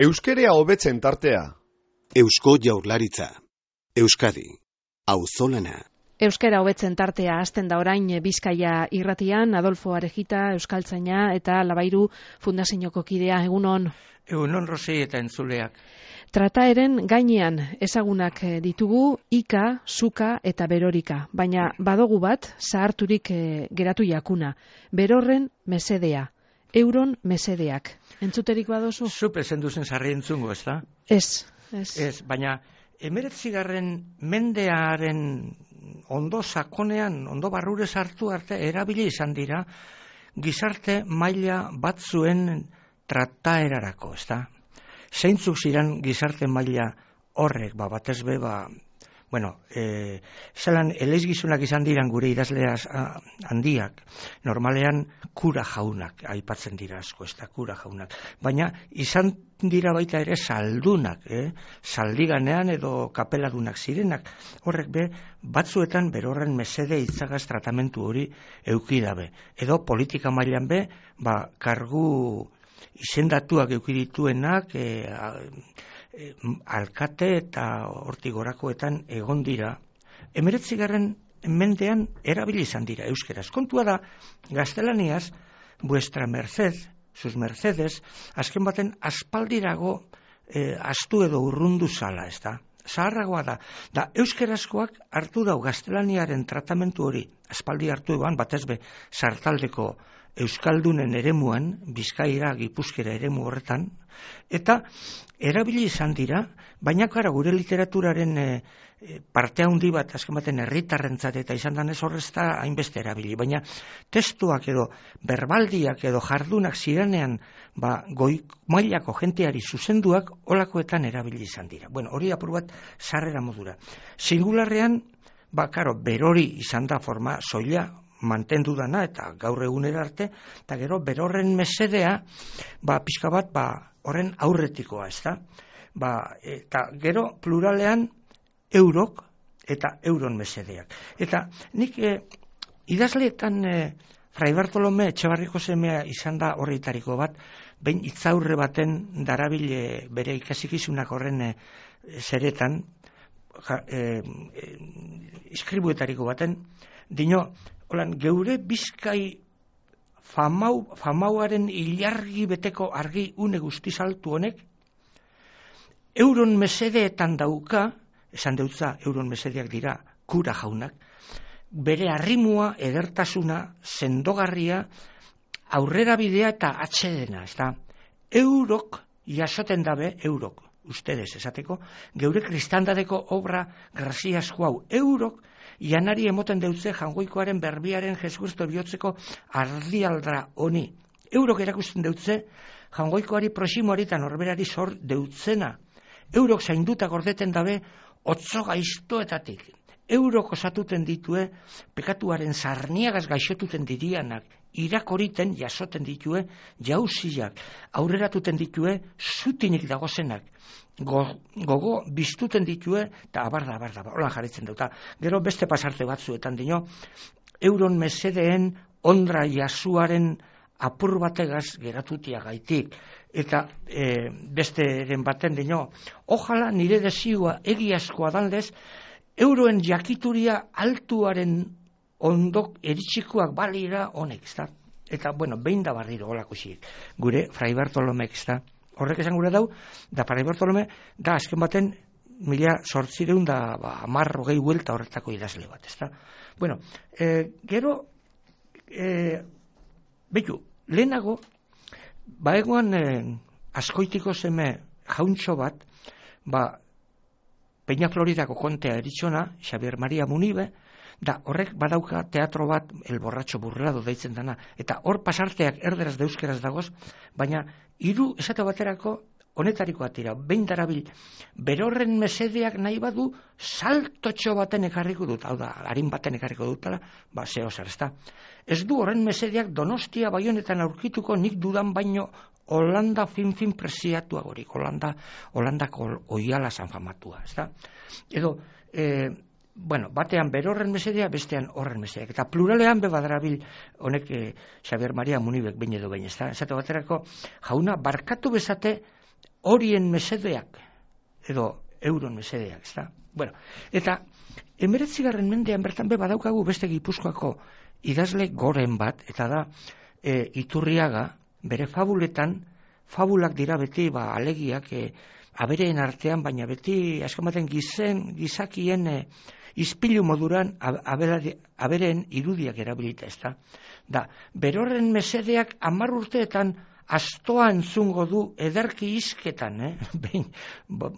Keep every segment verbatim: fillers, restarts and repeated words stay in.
Euskerea hobetzen tartea. Eusko Jaurlaritza. Euskadi. Auzolana. Euskera hobetzen tartea hasten da orain Bizkaia irratian, Adolfo Arejita, euskaltzaina eta Labairu Fundazioko kidea. Egunon. Egunon, Rosi eta entzuleak. Trataeren gainean ezagunak ditugu Ika, Suka eta Berorika, baina badogu bat zaharturik geratu jakuna. Berorren mesedea, euron mesedeak. Entzuterik badozu? Zupe zenduzen sarri entzungo, ez da? Ez, ez. Ez, baina emeretzigarren mendearen ondo sakonean, ondo barrure sartu arte, erabili izan dira, gizarte maila batzuen trataerarako, ez da? Zeintzuk ziren gizarte maila horrek, ba, batez be, ba, bueno, e, zelan eleizgizunak izan diran gure idazleaz handiak, normalean kura jaunak, aipatzen dira asko, ez da, kura jaunak, baina izan dira baita ere saldunak, eh? Saldiganean edo kapeladunak zirenak, horrek be, batzuetan berorren mesede itzagaz tratamentu hori eukidabe, edo politika mailan be, ba, kargu izendatuak eukidituenak, e, e, alkate eta hortik gorakoetan egon dira, emeretzigarren mendean erabili izan dira euskeraz. Kontua da, gaztelaniaz, vuestra merced, sus mercedes, azken baten aspaldirago e, astu edo urrundu zala, ez da? Zaharragoa da, da euskerazkoak hartu dau gaztelaniaren tratamentu hori, aspaldi hartu eban, batez be, sartaldeko euskaldunen eremuan, Bizkaira, Gipuzkera eremu horretan, eta erabili izan dira, baina kara gure literaturaren e, parte handi bat, azken baten herritarrentzat eta izan danez horrezta hainbeste erabili, baina testuak edo berbaldiak edo jardunak zirenean ba, goi mailako jenteari zuzenduak olakoetan erabili izan dira. Bueno, hori apur bat sarrera modura. Singularrean, ba, karo, berori izan da forma soila, mantendu dana eta gaur egunera arte, eta gero berorren mesedea, ba, pixka bat, ba, horren aurretikoa, ez da? Ba, eta gero pluralean eurok eta euron mesedeak. Eta nik e, idazleetan e, Fray Bartolome Etxebarriko semea izan da horretariko bat, behin itzaurre baten darabile bere ikasikizunak horren e, zeretan, ja, e, e, iskribuetariko baten, dino, holan, geure Bizkai famau, famauaren ilargi beteko argi une guztizaltu honek, euron mesedeetan dauka, esan deutza euron mesedeak dira kura jaunak, bere arrimua, edertasuna, sendogarria, aurrera bidea eta atxedena, ez da? Eurok jasoten dabe, eurok, ustedes esateko, geure kristandadeko obra graziasko hau, eurok, janari emoten deutze jangoikoaren berbiaren Jesucristo bihotzeko ardialdra honi. Eurok erakusten deutze jangoikoari prosimoari eta norberari zor deutzena. Eurok zainduta gordeten dabe otzo gaiztoetatik. Eurok osatuten ditue pekatuaren zarniagaz gaixotuten dirianak, irakoriten jasoten ditue jauziak, aurreratuten ditue zutinik dagozenak, Go, gogo biztuten ditue, eta abarda, abarda, hola jarritzen dauta. Gero beste pasarte batzuetan dino, euron mesedeen ondra jasuaren apur bategaz geratutia gaitik. Eta e, besteren baten dino, ojala nire desiua egiazkoa danlez, euroen jakituria altuaren ondok eritxikoak balira honek, ez da? Eta, bueno, behin da barriro holakusiek. Gure Fray Bartolomek, ez da? Horrek esan gure dau, da Fray Bartolome, da azken baten mila sortzireun da ba, amar hogei huelta horretako idazle bat, ez da? Bueno, e, gero, e, betu, lehenago, baegoan e, askoitiko zeme jauntxo bat, ba, Peña Floridako kontea eritxona, Xabier Maria Munibe, da horrek badauka teatro bat, El borratxo burlado deitzen dana, eta hor pasarteak erderaz da euskeraz dagoz, baina hiru esate baterako honetariko atira, behin darabil, berorren mesedeak nahi badu saltotxo baten ekarriko dut, hau da, harin baten ekarriko dutala, ba, zeo zer, ez da. Ez du horren mesedeak Donostia Baionetan aurkituko nik dudan baino Holanda fin-fin presiatua gorik, Holanda, Holandako oiala zanfamatua, ez da. Edo, e, bueno, batean berorren mesedea, bestean horren mesedeak. Eta pluralean bebadarabil honek e, Xabier Maria Munibek behin edo behin, ez da. Esate baterako, jauna, barkatu bezate horien mesedeak, edo euron mesedeak, ez da? Bueno, eta hemeretzigarren mendean bertan be badaukagu beste Gipuzkoako idazle goren bat, eta da e, Iturriaga, bere fabuletan, fabulak dira beti ba, alegiak e, abereen artean, baina beti azken baten gizen, gizakien e, izpilu moduran abelari, abereen irudiak erabilita, ez da? Da, berorren mesedeak hamar urteetan astoa entzungo du ederki izketan, eh? Behin,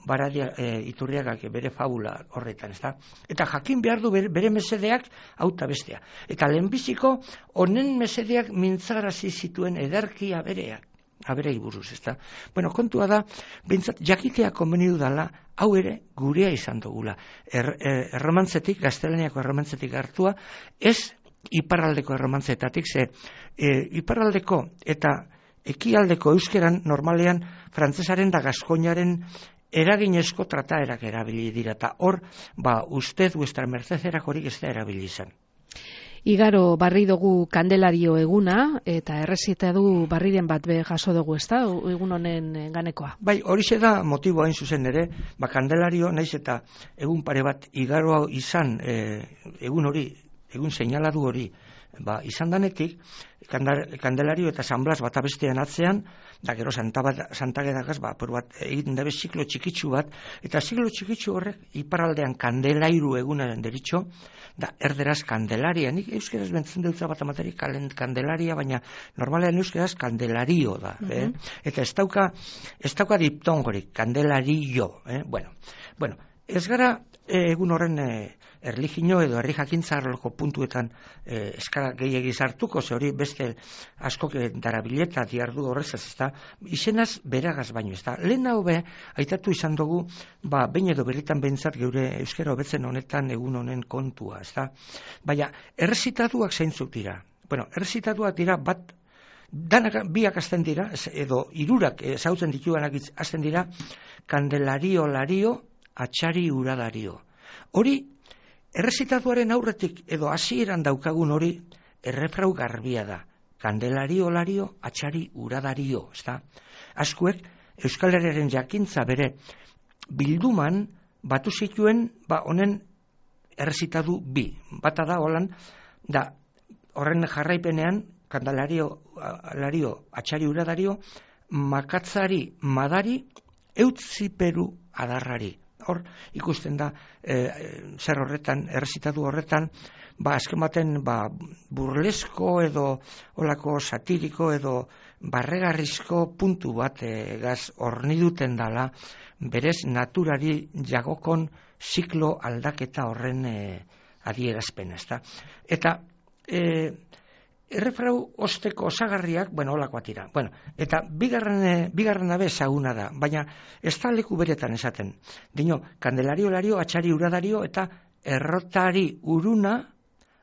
baradia e, Iturriagak bere fabula horretan, ez da? Eta jakin behar du bere, bere mesedeak auta bestea. Eta lehenbiziko honen mesedeak mintzarazi zituen ederki abereak. Aberei buruz, ez da? Bueno, kontua da, bintzat, jakitea konbenidu dala, hau ere gurea izan dugula. Er, er, erromantzetik, gaztelaniako erromantzetik hartua, ez iparraldeko erromantzetatik, ze e, iparraldeko eta ekialdeko euskeran normalean frantsesaren da gaskoinaren eraginezko trataerak erabili dira, eta hor, ba, usted, vuestra mercederak horik ez da erabili izan. Igaro barri dugu Kandelario eguna, eta errezita du barriren bat be jaso dugu, ez da, egun honen ganekoa. Bai, horixe da motiboa hain zuzen ere, ba, Kandelario, naiz eta egun pare bat igaro izan, e, egun hori, egun seinaladu hori, ba, izan danetik, Kandelario eta San Blas bata bestean atzean, da gero Santagedagaz, ba, por bat, egiten dabe ziklo txikitsu bat, eta ziklo txikitsu horrek iparraldean Kandelairu egunaren deritxo, da erderaz Kandelaria, nik euskeraz bentzen dutza bat amaterik Kandelaria, baina normalean euskeraz Kandelario da, uh-huh. eh? Eta ez dauka, ez dauka diptongorik, Kandelario, eh? Bueno, bueno, ez gara eh, egun horren eh, erlijino edo herri jakintza arloko puntuetan eh, eskara gehiagiz hartuko, ze hori beste askok darabileta diardu horrezaz, ez da, izenaz beragaz baino, ez da. Lehen hau be, aitatu izan dugu, ba, behin edo berritan behintzat geure euskera hobetzen honetan egun honen kontua, ez da. Baina, errezitatuak zeintzuk dira. Bueno, errezitatuak dira bat, danak biak azten dira, edo irurak ezautzen dituanak azten dira, Kandelario lario, atxari uradario. Hori, errezitatuaren aurretik edo hasieran daukagun hori errefrau garbia da. Kandelario lario, atxari uradario, ez da? Askuek Euskal Herriaren jakintza bere bilduman batu zituen, ba, honen errezitatu bi. Bata da, holan, da, horren jarraipenean, Kandelario lario, atxari uradario, makatzari madari, eutziperu adarrari. Hor, ikusten da, e, zer horretan, errezitatu horretan, ba, azken baten, ba, burlesko edo, olako satiriko edo, barregarrizko puntu bat e, gaz horniduten dala, berez naturari jagokon ziklo aldaketa horren e, adierazpen, ez da. Eta, e, errefrau osteko osagarriak, bueno, olakoa tira. Bueno, eta bigarren, bigarren abe ezaguna da, baina ez da leku beretan esaten. Dino, Kandelario lario, atxari uradario, eta errotari uruna,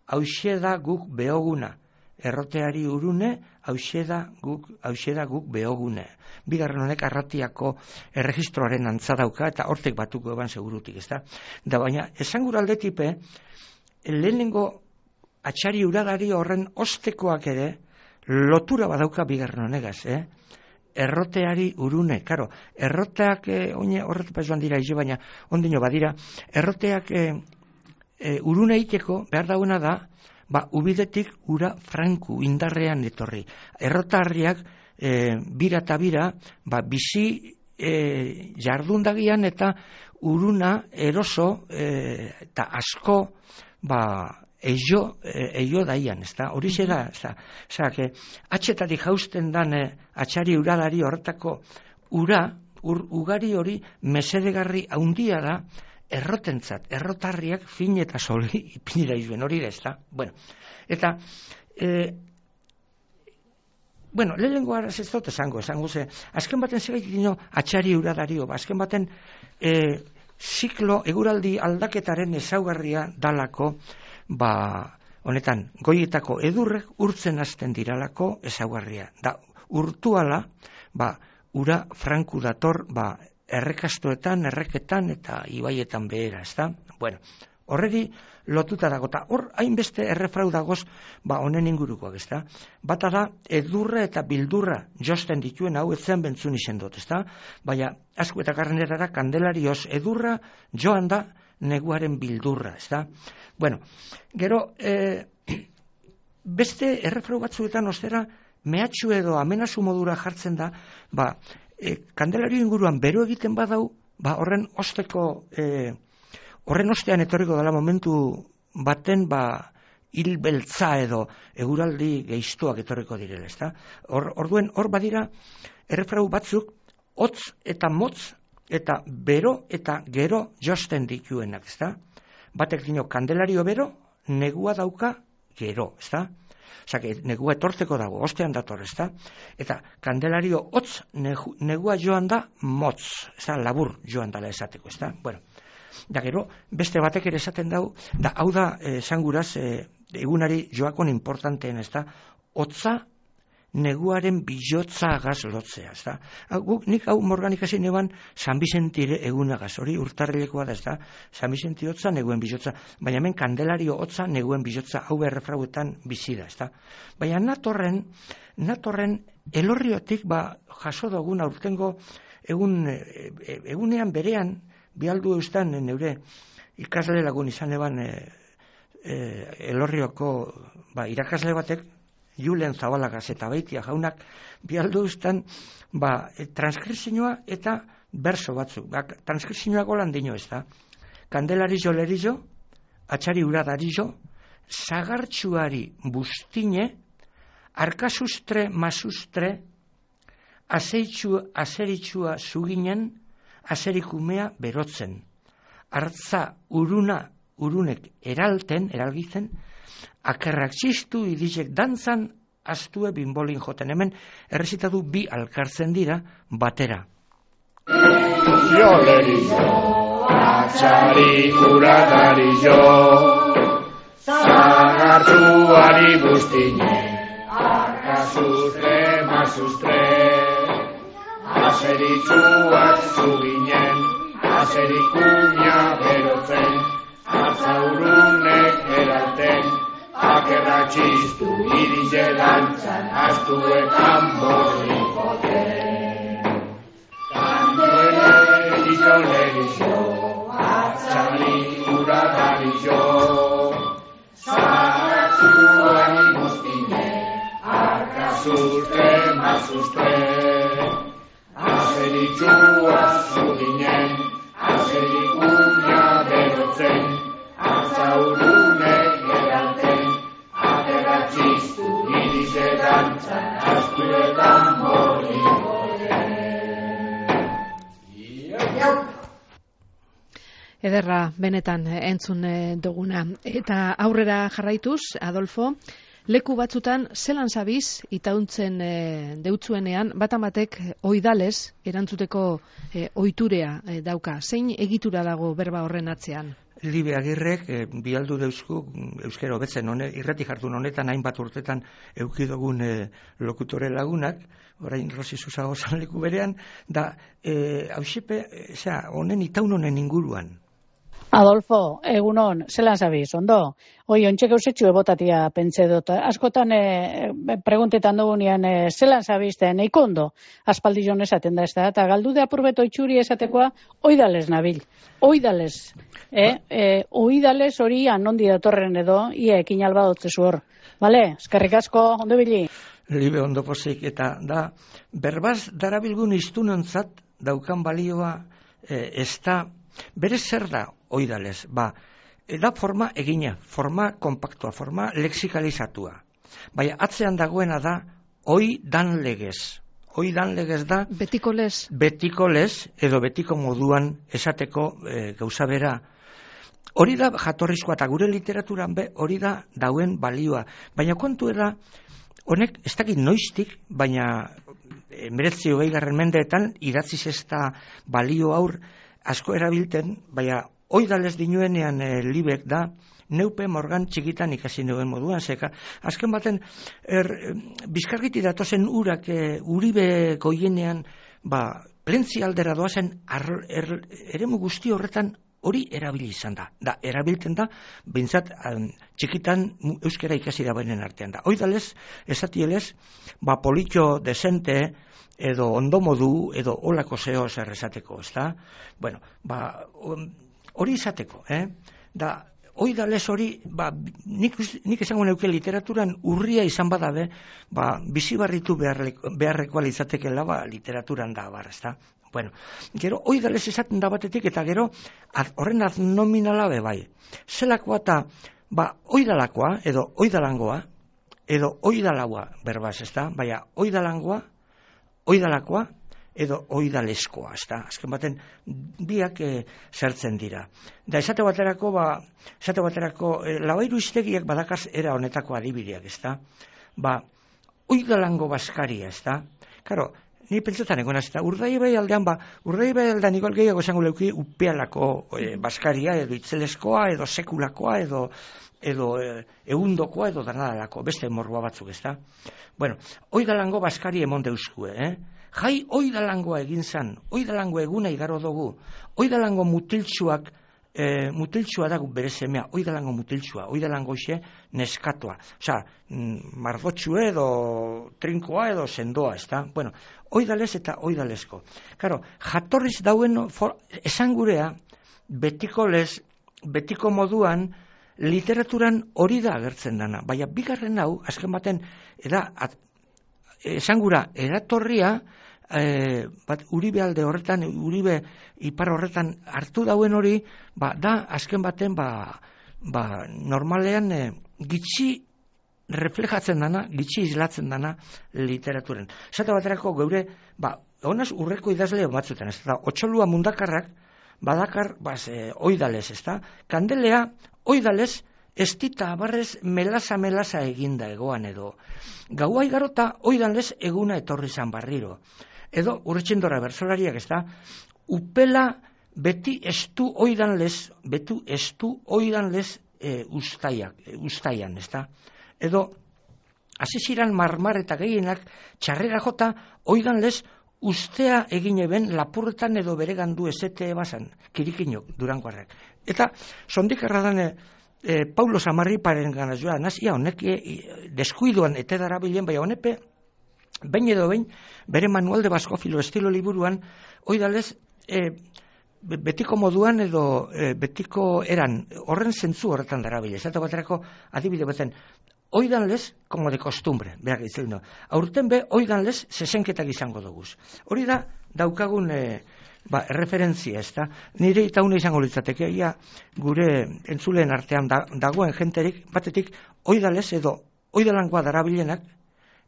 hauxe da guk behoguna. Erroteari urune, hauxe da guk, hauxe da guk behogune. Bigarren honek arratiako erregistroaren antza dauka, eta hortek batuko eban segurutik, ez da? Da, baina, esan gura aldetipe, lehenengo atxari uradari horren ostekoak ere lotura badauka bigarren honegaz, eh? Erroteari urune, karo, erroteak eh, oine horretu joan dira izo, baina ondino badira, erroteak eh, eh, urune iteko behar dauna da, ba, ubidetik ura franku indarrean etorri. Errotarriak eh, bira eta bira, ba, bizi eh, jardundagian eta uruna eroso eh, eta asko, ba, Eio, eio daian, ez da, hori zera, ez da, zera, que, atxetatik jausten dan eh, atxari uradari horretako ura, ur, ugari hori mesedegarri haundia da, errotentzat, errotarriak fin eta soli ipinira izuen, hori da, ez da, bueno, eta, e, bueno, lehenengo araz ez dut esango, esango ze, azken baten zegaitik dino atxari uradario, ba, azken baten, e, ziklo, eguraldi aldaketaren ezaugarria dalako, ba, honetan, goietako edurrek urtzen hasten diralako ezaugarria. Da, urtuala, ba, ura franku dator, ba, errekastoetan, erreketan eta ibaietan behera, ez da? Bueno, Horreri lotuta dago, eta hor hainbeste errefrau dagoz, ba, honen ingurukoak, ezta? Bata da, edurra eta bildurra josten dituen hau etzen bentzun izen dut, ezta? Baina, asko eta karnerara kandelarioz edurra joan da neguaren bildurra, ezta? Bueno, gero, e, beste errefrau batzuetan ostera, mehatxu edo amenazu modura jartzen da, ba, e, kandelario inguruan bero egiten badau, ba, horren osteko... E, Horren ostean etorriko dela momentu baten, ba, hil beltza edo eguraldi geiztuak etorriko direla, ezta? Hor, orduen, hor badira, errefrau batzuk, hotz eta motz, eta bero eta gero josten dituenak, ezta? Batek dino, kandelario bero, negua dauka gero, ezta? Osa, negua etortzeko dago, ostean dator, ezta? Eta kandelario hotz, negu, negua joan da motz, ezta? Labur joan dala esateko, ezta? Bueno, da gero, beste batek ere esaten dau, da hau da, esan guraz, e, egunari joakon importanteen, ez da, hotza neguaren bilotza agaz lotzea, ez da. Guk, nik hau morganik hasi neban San Bizentire egunagaz, hori urtarrilekoa da, ez da, San Bizenti hotza neguen bilotza, baina hemen kandelario hotza neguen bilotza, hau errefrauetan bizi da, ez da. Baina natorren, natorren elorriotik, ba, jaso dugun aurtengo egun, egunean berean, bialdu eustan neure ikasle lagun izan eban e, e, elorrioko ba, irakasle batek Julen Zabalagaz eta Beitia jaunak bialdu eustan ba, e, transkripzioa eta berso batzuk. Ba, transkripzioa golan dino ez da. Kandelarillo lerillo, atxari uradarillo, zagartxuari bustine, arkasustre masustre, azeritxua zuginen, azerikumea berotzen, hartza uruna urunek eralten, eralgitzen, akerrak txistu idizek dantzan, astue bimbolin joten, hemen errezitatu bi alkartzen dira batera. Jo lerillo, atxari uradarillo, zagartuari bustine, arkasustre masustre, azeritxuak zuginen, azerikumia berotzen, atzaurunek eralten, akerrak txistu irize dantzan, astuetan borrikoten. Kandelarilo lerillo, atxari uradarillo, zagartzuari bustine, arkasustre masustre, azeritxua zuginen, azerikumia berotzen, atzaurunek geralten, aterrak txistu irize dantzan, astuetan borrikoten. Ederra, benetan entzun duguna. Eta aurrera jarraituz, Adolfo, leku batzutan zelan zabiz itauntzen e, deutzuenean batamatek oidales erantzuteko e, oiturea e, dauka. Zein egitura dago berba horren atzean? Libe Agirrek e, bialdu deusku euskera hobetzen hone, irrati jardun honetan hainbat urtetan eukidogun e, lokutore lagunak, orain Rosi Susago leku berean, da e, hausipe, e, honen itaun honen inguruan. Adolfo, egunon, zelan zabiz, ondo? Oi, ontxek eusetxu ebotatia pentsa dut. Askotan e, preguntetan dugunean e, zelan zabizten, eiko ondo, aspaldi joan esaten da ez da, eta galdu de apurbeto itxuri esatekoa, oidales nabil, oidales. E, e, oidales hori anondi datorren edo, ia ekin alba dutzezu hor. Bale, eskerrik asko, ondo bili? Libe ondo pozik, eta da, berbaz darabilgun iztunontzat daukan balioa e, ez da, berez zer da oidales, ba, da forma egina, forma kompaktua, forma lexikalizatua. Baina atzean dagoena da oi dan legez. Oi dan legez da betiko lez. Betiko lez, edo betiko moduan esateko e, gauza bera. Hori da jatorrizkoa eta gure literaturan be hori da dauen balioa. Baina kontu da, honek ez dakit noiztik, baina hemeretzi hogei garren mendeetan idatziz ez da balio aur asko erabilten, baina oidales dinuenean e, libek da, neupe morgan txikitan ikasi neuen moduan, zeka, azken baten, er, bizkargiti datozen urak, e, uribe goienean, ba, plentzi aldera doazen, ar, er, eremu guzti horretan hori erabili izan da. Da, erabiltzen da, bintzat, um, txikitan euskera ikasi da bainen artean da. Oidalez, esatielez, ba, politxo, desente, edo ondo modu, edo olako zeo zer esateko, ez da? Bueno, ba, hori izateko, eh? Da, oidalez hori, ba, nik, nik esango neuke literaturan urria izan badabe, ba, bizibarritu beharrekoa litzatekela, ba, literaturan da, bar, ez da? Bueno, gero, oidalez esaten da batetik, eta gero, ad, horren adnominala be bai. Zelakoa eta, ba, oidalakoa, edo oidalangoa, edo oidalaua, berbaz, ez da? Baina, oidalangoa, oidalakoa edo oidaleskoa, ezta? Azken baten biak e, zertzen dira. Da esate baterako, ba, esate baterako e, Labairu Hiztegiak badakaz era honetako adibideak, ezta? Ba, oidalango baskaria, ezta? Karo, ni pentsetan egon ezta, Urdaibai aldean, ba, Urdaibai aldean igual gehiago esango leuki upealako e, baskaria, edo itzeleskoa, edo sekulakoa, edo edo e, egundokoa, edo danadalako, beste morroa batzuk, ezta? Bueno, oidalango baskari emon deuskue, eh? Jai oidalangoa egin zan, oidalango eguna igaro dugu, oidalango mutiltsuak, e, mutiltsua dago bere semea, oidalango mutiltsua, oidalango xe neskatoa, osea, mardotxue edo trinkoa edo sendoa, ezta? Bueno, oidalez eta oidalesko. Karo, jatorriz dauen for, esan gurea, betiko lez, betiko moduan, literaturan hori da agertzen dana, baina bigarren hau, azken baten, eda, at, esangura, eratorria, e, bat, Uribe alde horretan, Uribe ipar horretan hartu dauen hori, ba, da, azken baten, ba, ba, normalean, e, gitxi reflejatzen dana, gitxi islatzen dana literaturen. Zata baterako geure, ba, honaz urreko idazle batzuten, ez da, Otxolua Mundakarrak, badakar, baz, e, oidalez, ez da, Kandelea, oidalez, ez dita abarrez melasa-melasa eginda egoan edo. Gaua igarota oidalez eguna etorri zan barriro. Edo, urretxendora bersolariak ez da, upela beti estu oidanlez, betu estu oidanlez e, ustaiak, e, ustaian, ez da. Edo, aziziran marmar eta gehienak txarrera jota oidanlez ustea egin eben lapurretan edo bere gandu esete basan, kirikinok, Durangoarrak. Eta, sondik erradan, e, Paulo Samarriparen gana joa, nazia honek e, deskuiduan ete darabilen, bai honepe, behin edo behin, bere manual de baskofilo estilo liburuan, oidalez, e, betiko moduan edo e, betiko eran, horren zentzu horretan darabile. Eta baterako adibide baten, oidanlez, como de costumbre, behar gitzen du. Aurten be, oidanlez, zesenketak izango duguz. Hori da, daukagun e, ba, referentzia, ez da. Nire eta une izango litzateke, ia, gure entzuleen artean da, dagoen jenterik, batetik, oidalez edo oidalangoa darabilenak,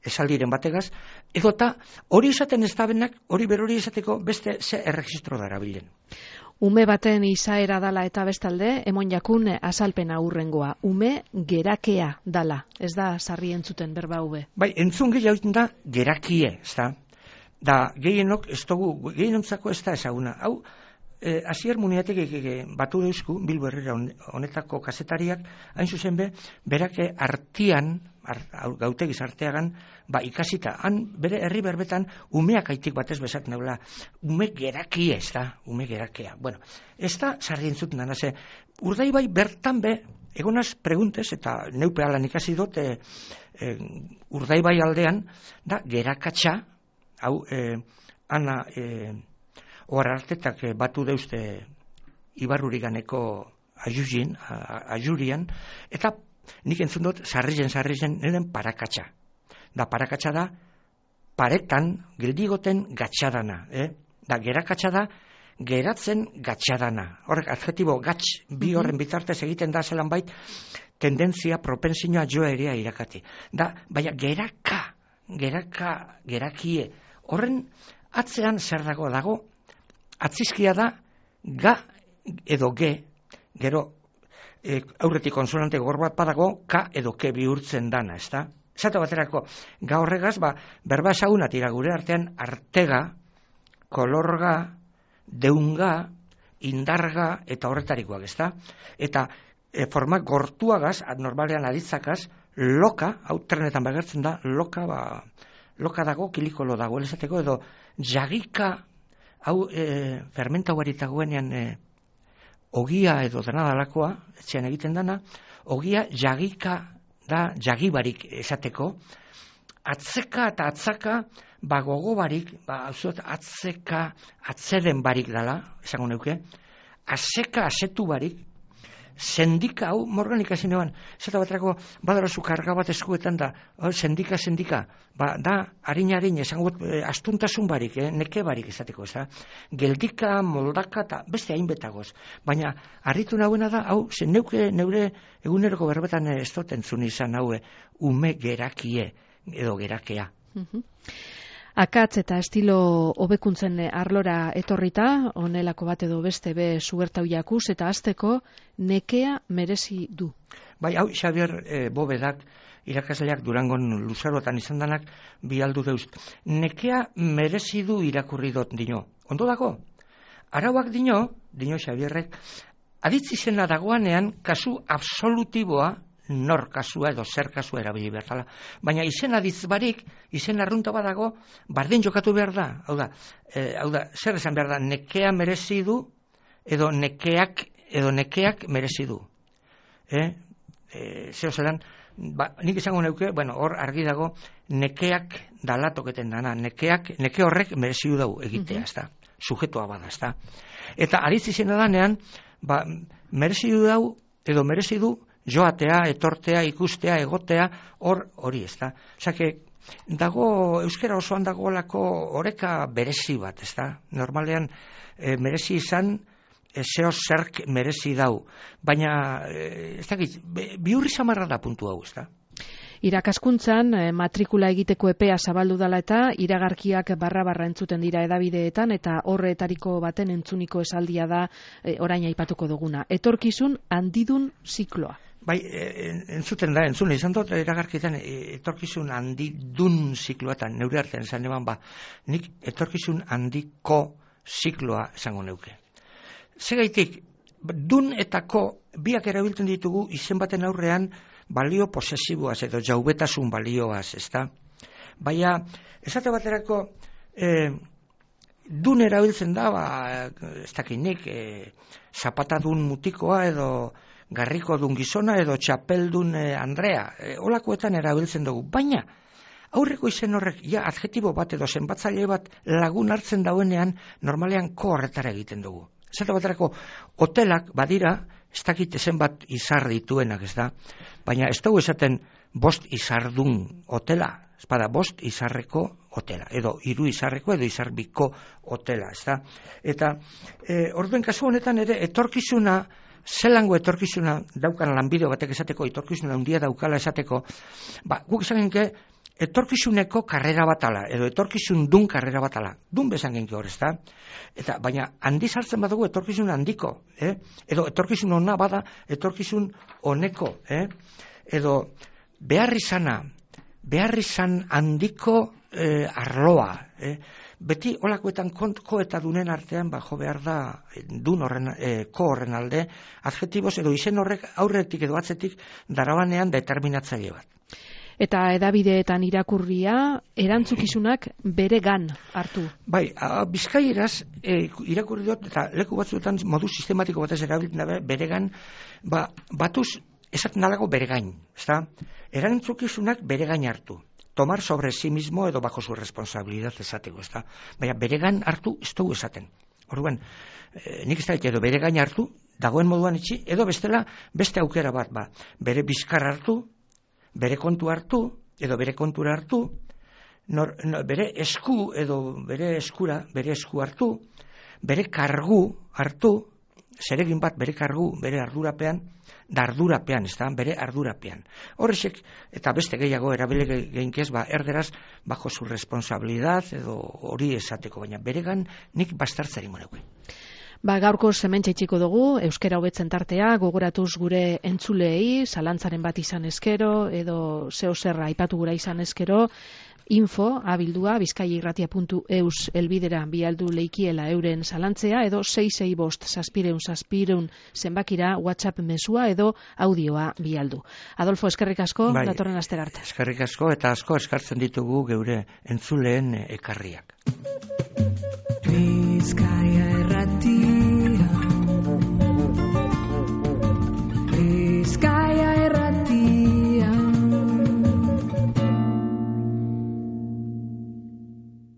esaldiren bategaz, edo eta hori izaten ez dabenak, hori berori izateko beste ze erregistro darabilen. Ume baten izaera dala eta bestalde, emon jakun azalpena hurrengoa. Ume gerakea dala, ez da sarri entzuten berba hube. Bai, entzun gehiago da gerakie, ez da. Da, gehienok, ez dugu, gehienontzako ez da ezaguna. Hau, eh, Asier Muniatek e, e, batu deusku, Bilbo Herrera honetako kazetariak, hain zuzen be, berake artian, art, gautegi arteagan, ba, ikasita, han bere herri berbetan umeak aitik batez bezat neula, ume gerakie, ez da, ume gerakea. Bueno, ez da sarri entzuten dana, ze, Urdaibai bertan be, egonaz preguntes, eta neupe alan ikasi dut, e, e, Urdaibai aldean, da, gerakatxa, hau, e, ana, e, ohar artetak e, batu deuzte Ibarruriganeko ajuzin, ajurian, eta nik entzun dut, sarrizen, sarrizen, neren parakatxa. Da, parakatxa da, paretan, geldigoten gatxadana. Eh? Da, gerakatxa da, geratzen gatxadana. Horrek, adjetibo gatx, bi horren bitartez egiten da zelan bait, tendentzia, propensioa joa erea irakati. Da, baina, geraka, geraka, gerakie. Horren, atzean zer dago dago, atzizkia da, ga edo ge, gero, e, aurretik konsonante gor bat badago, ka edo ke bihurtzen dana, ez da? Zata baterako, ga horregaz, ba, berba esagunat gure artean, artega, kolorga, deunga, indarga, eta horretarikoak, ez da? Eta e, forma gortuagaz, normalean aditzakaz, loka, hau trenetan begertzen da, loka, ba, loka dago, kilikolo dago, elezateko, edo jagika, hau e, fermenta guaritagoenean e, ogia edo dena dalakoa, etxean egiten dana, ogia jagika da jagibarik esateko, atzeka eta atzaka, ba gogo barik, ba atzeka atzeden barik dala, esango neuke, aseka asetu barik, sendika, hau morgan ikasi neban, zeta baterako badarazu karga bat eskuetan da, oh, sendika, sendika, ba, da, harin-harin, esango eh, astuntasun barik, eh, neke barik izateko, ez da, geldika, moldaka, eta beste hainbetagoz, baina, harritu nahuena da, hau, ze neuke, neure eguneroko berbetan ez dut entzun izan haue, ume gerakie, edo gerakea. Mhm. Akatz eta estilo hobekuntzen arlora etorrita, honelako bat edo beste be sugertau jakuz, eta hasteko nekea merezi du. Bai, hau Xabier e, Bobedak, irakasleak Durangon luzarotan izan danak, bi aldu deuz. Nekea merezi du irakurri dut dino. Ondo dago? Arauak dino, dino Xabierrek, aditzi zena dagoanean kasu absolutiboa, nor kasua edo zer kasua erabili behar dela. Baina izen aditz barik, izen arrunta badago, bardin jokatu behar da. Hau da, e, hau da, zer esan behar da, nekea merezi du, edo nekeak, edo nekeak merezi du. E? E, zeo zelan, ba, nik izango neuke, bueno, hor argi dago, nekeak dalatoketen dana, nekeak, neke horrek merezi du dau egitea, ez da, sujetua bada, ez da. Eta aditz izena danean, ba, merezi du dau, edo merezi du, joatea, etortea, ikustea, egotea, hor hori ez da. Osake, dago, euskera osoan dagoelako oreka berezi bat, ez da. Normalean, e, merezi izan, e, zeo zerk merezi dau. Baina, e, ez dakit, bihurri samarra da puntu hau, ez da. Irakaskuntzan eh, matrikula egiteko epea zabaldu dala eta iragarkiak barra-barra entzuten dira edabideetan eta horretariko baten entzuniko esaldia da eh, orain aipatuko duguna. Etorkizun handidun zikloa. Bai, entzuten da, entzune izan dut iragarkietan etorkizun handidun zikloetan, neure artean esan eban ba, nik etorkizun handiko zikloa esango neuke. Segaitik, dun eta ko biak erabiltzen ditugu izen baten aurrean balio posesiboaz edo jaubetasun balioaz, ezta? Baina, esate baterako, eh, dun erabiltzen da, ba, ez dakinik, eh, zapatadun mutikoa edo garriko dun gizona edo txapeldun eh, Andrea, eh, olakoetan erabiltzen dugu. Baina, aurreko izen horrek, ja, adjetibo bat edo zenbatzaile bat lagun hartzen dauenean, normalean ko horretara egiten dugu. Esate baterako, hotelak badira, ez dakit ezen bat izar dituenak, ez da, baina ez dugu esaten bost izardun hotela, ez bada bost izarreko hotela, edo hiru izarreko edo izarbiko hotela, ez da. Eta e, orduen kasu honetan ere etorkizuna, zelango etorkizuna daukan lanbide batek esateko, etorkizuna handia daukala esateko, ba, guk esan genke, etorkizuneko karrera batala, edo etorkizun dun karrera batala, dun bezan genki hor, ez da? Eta, baina, handi sartzen badugu etorkizun handiko, eh? Edo etorkizun ona bada, etorkizun honeko, eh? Edo behar izana, behar izan handiko eh, arloa, eh? Beti olakoetan ko eta dunen artean, ba, jo behar da, dun horren, eh, ko horren alde, adjetiboz edo izen horrek aurretik edo atzetik darabanean determinatzaile bat. Eta edabideetan irakurria, erantzukizunak bere gan hartu. Bai, bizkaieraz e, irakurri dut, eta leku batzuetan modu sistematiko batez erabiltzen dabe, bere gan, ba, batuz esaten dalago bere gain, ezta? Erantzukizunak bere gain hartu. Tomar sobre sí mismo edo bajo su responsabilidad esateko, ezta? Baina bere gan hartu ez dugu esaten. Orduan, e, nik ez da edo bere gain hartu, dagoen moduan itxi, edo bestela beste aukera bat, ba, bere bizkar hartu, bere kontu hartu, edo bere kontura hartu, nor, nor, bere esku edo bere eskura, bere esku hartu, bere kargu hartu, zeregin bat bere kargu, bere ardurapean, da ardurapean, ez da, bere ardurapean. Horrexek, eta beste gehiago erabile geinkez, ba, erderaz, bajo su responsabilidad, edo hori esateko, baina beregan nik bastartzari moneuke. Ba, gaurko hementxe itxiko dugu, euskera hobetzen tartea, gogoratuz gure entzuleei, zalantzaren bat izan eskero, edo zeo zerra aipatu gura izan eskero, info, abildua, bizkaiairratia puntu eus elbidera bialdu leikiela euren zalantzea, edo sei sei bost zazpireun zazpireun zenbakira WhatsApp mesua edo audioa bialdu. Adolfo, eskerrik asko, bai, datorren astera arte. Eskerrik asko, eta asko eskartzen ditugu geure entzuleen ekarriak. Bizkaia irratia